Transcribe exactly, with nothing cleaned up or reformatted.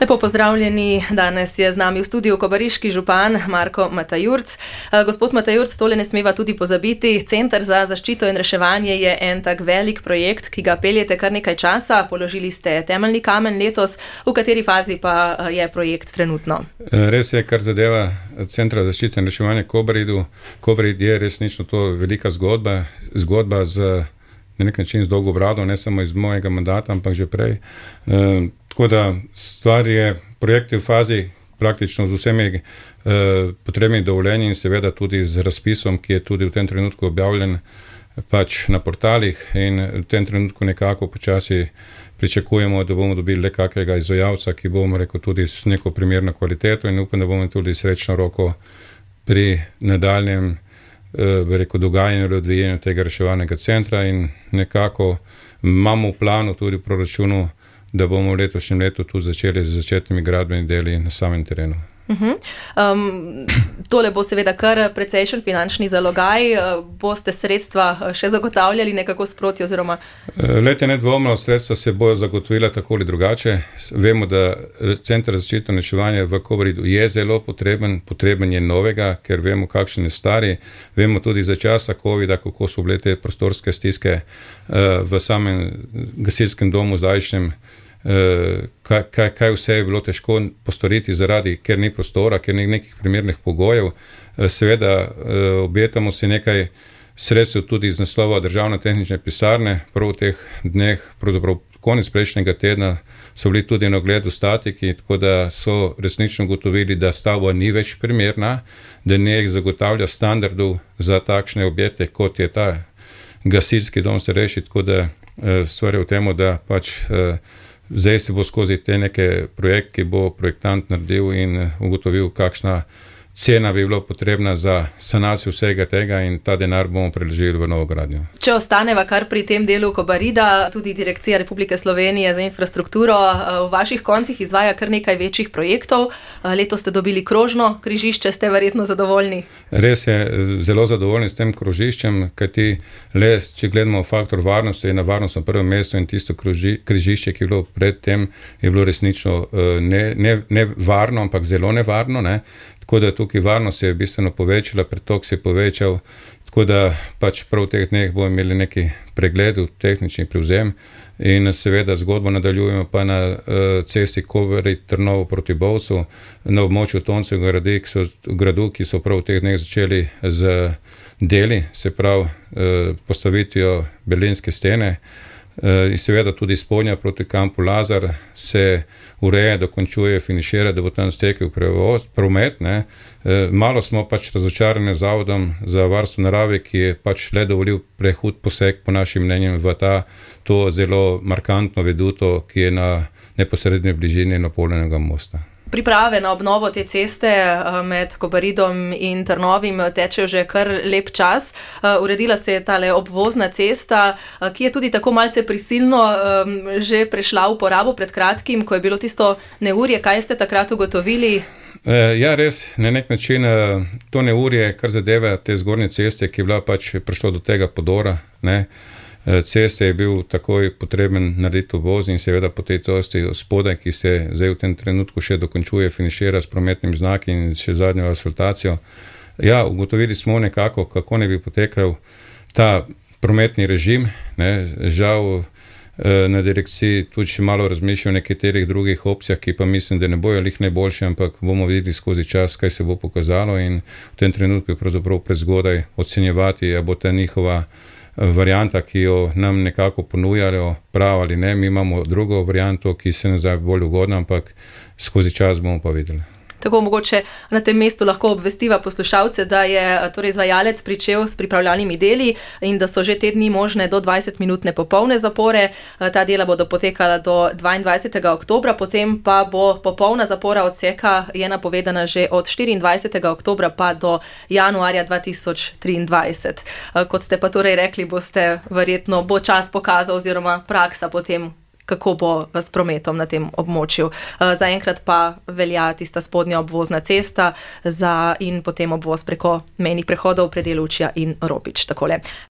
Lepo pozdravljeni, danes je z nami v studiu kobariški župan Marko Matajurc. Gospod Matajurc, tole ne smeva tudi pozabiti, Center za zaščito in reševanje je en tak velik projekt, ki ga peljete kar nekaj časa, položili ste temeljni kamen letos, v kateri fazi pa je projekt trenutno? Res je, kar zadeva Centra za zaščito in reševanje Kobaridu. Kobarid je resnično to velika zgodba, zgodba z na nek način z dolgo brado, ne samo iz mojega mandata, ampak že prej. E, tako da stvar je, projekt je v fazi praktično z vsemi e, potrebnimi dovoljenji in seveda tudi z razpisom, ki je tudi v tem trenutku objavljen pač na portalih, in v tem trenutku nekako počasi pričakujemo, da bomo dobili le kakega izvajalca, ki bomo rekel tudi s neko primerno kvaliteto, in upam, da bomo tudi srečno roko pri nadaljnjem bi rekel, dogajanju ali odvijanju tega reševalnega centra, in nekako imamo v planu tudi v proračunu, da bomo v letošnjem letu tudi začeli z začetnimi gradbenimi deli na samem terenu. Uh-huh. Um, tole bo seveda kar precejšen finančni zalogaj, boste sredstva še zagotavljali nekako sproti oziroma? Lejte, nedvomno, sredstva se bojo zagotovila tako ali drugače. Vemo, da Center za zaščito in reševanje v Kobaridu je zelo potreben, potreben je novega, ker vemo, kakšen je stari. Vemo tudi za časa covida, kako so bile te prostorske stiske v samem gasilskem domu zdajšnjem. Kaj, kaj, kaj vse je bilo težko postoriti zaradi, ker ni prostora, ker ni nekih primernih pogojev. Seveda obetamo si nekaj sredstev tudi iz naslova državne tehnične pisarne. Prav v teh dneh, pravzaprav konec prejšnjega tedna, so bili tudi na ogledu statiki, tako da so resnično ugotovili, da stavba ni več primerna, da ne zagotavlja standardov za takšne objekte, kot je ta gasilski dom starejših, tako da stvar je v tem, da pač zdaj se bo skozi te neke projekt, ki bo projektant naredil in ugotovil, kakšna cena bi bila potrebna za sanacijo vsega tega, in ta denar bomo preložili v novo gradnjo. Če ostaneva kar pri tem delu Kobarida, tudi Direkcija Republike Slovenije za infrastrukturo v vaših koncih izvaja kar nekaj večjih projektov. Letos ste dobili krožno križišče, ste verjetno zadovoljni? Res je, zelo zadovoljni s tem krožiščem, kajti le, če gledamo faktor varnosti, je na varnost na prvem mestu, in tisto kroži, križišče, ki je bilo pred tem, je bilo resnično ne, ne, ne varno, ampak zelo nevarno, ne? Tako da tukaj varnost se je bistveno povečala, pretok se je povečal, tako da pač prav v teh dneh bomo imeli neki pregled, tehnični prevzem, in seveda zgodbo nadaljujemo pa na uh, cesti Kobarid-Trnovo proti Bovcu, na območju Toncevega gradu, ki so, gradu, ki so prav v teh dneh začeli z deli, se pravi uh, postavitijo berlinske stene. In seveda tudi spodnja proti kampu Lazar se ureja, dokončuje, finišira, da bo tam stekel prevoz, promet. Ne. Malo smo pač razočarani z Zavodom za varstvo narave, ki je pač le dovolil prehud poseg po našim mnenjem v ta, to zelo markantno veduto, ki je na neposrednji bližini napolnjenega mosta. Priprave na obnovo te ceste med Kobaridom in Trnovim tečejo že kar lep čas. Uredila se je tale obvozna cesta, ki je tudi tako malce prisilno že prešla v uporabo pred kratkim, ko je bilo tisto neurje. Kaj ste takrat ugotovili? Ja, res, na nek način to neurje, kar zadeva te zgornje ceste, ki je bila pač prišlo do tega podora, ne, ceste je bil takoj potreben narediti obvoz, in seveda po tej tosti spodaj, ki se zdaj v tem trenutku še dokončuje, finišira s prometnim znaki in še zadnjo asfaltacijo. Ja, ugotovili smo nekako, kako ne bi potekal ta prometni režim, ne, žal na direkciji tudi še malo razmišljajo o nekaterih drugih opcijah, ki pa mislim, da ne bojo lih najboljše, ampak bomo videli skozi čas, kaj se bo pokazalo, in v tem trenutku je pravzaprav prezgodaj ocenjevati, a bo ta njihova varianta, ki jo nam nekako ponujajo, prav ali ne. Mi imamo drugo varianto, ki se nam zdi bolj ugodna, ampak skozi čas bomo pa videli. Tako mogoče na tem mestu lahko obvestiva poslušalce, da je torej izvajalec pričel s pripravljalnimi deli in da so že te dni možne do dvajset minutne popolne zapore. Ta dela bodo potekala do dvaindvajsetega oktobra, potem pa bo popolna zapora odseka je napovedana že od štiriindvajsetega oktobra pa do januarja dva tisoč triindvajset. Kot ste pa torej rekli, boste verjetno bo čas pokazal oziroma praksa potem, kako bo s prometom na tem območju. Zaenkrat pa velja tista spodnja obvozna cesta za in potem obvoz preko mejnih prehodov Predelučja in Ropič. Takole.